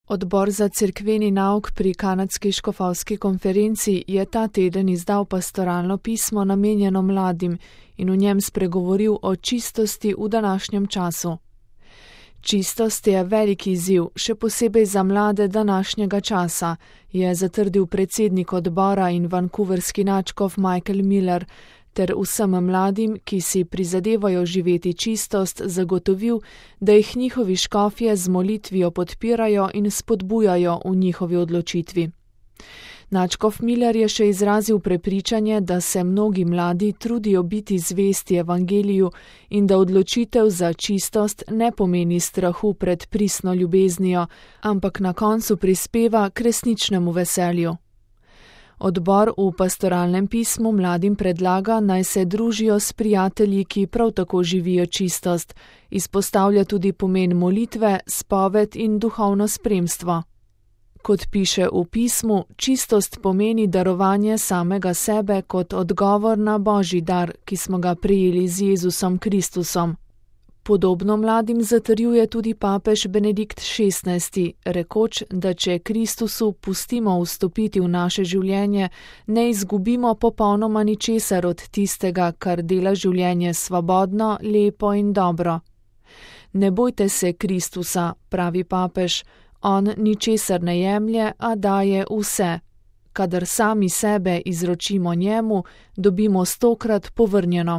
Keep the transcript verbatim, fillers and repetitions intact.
Odbor za cerkveni nauk pri Kanadski škofovski konferenci je ta teden izdal pastoralno pismo namenjeno mladim in v njem spregovoril o čistosti v današnjem času. Čistost je velik izziv, še posebej za mlade današnjega časa, je zatrdil predsednik odbora in vancouverski nadškof Michael Miller, ter vsem mladim, ki si prizadevajo živeti čistost, zagotovil, da jih njihovi škofje z molitvijo podpirajo in spodbujajo v njihovi odločitvi. Nadškof Miller je še izrazil prepričanje, da se mnogi mladi trudijo biti zvesti evangeliju in da odločitev za čistost ne pomeni strahu pred pristno ljubeznijo, ampak na koncu prispeva k resničnemu veselju. Odbor v pastoralnem pismu mladim predlaga, naj se družijo s prijatelji, ki prav tako živijo čistost, izpostavlja tudi pomen molitve, spoved in duhovno spremstvo. Kot piše v pismu, čistost pomeni darovanje samega sebe kot odgovor na Božji dar, ki smo ga prejeli z Jezusom Kristusom. Podobno mladim zatrjuje tudi papež Benedikt šestnajsti, rekoč, da če Kristusu pustimo vstopiti v naše življenje, ne izgubimo popolnoma ničesar od tistega, kar dela življenje svobodno, lepo in dobro. Ne bojte se Kristusa, pravi papež, on ničesar ne jemlje, a daje vse. Kadar sami sebe izročimo njemu, dobimo stokrat povrnjeno.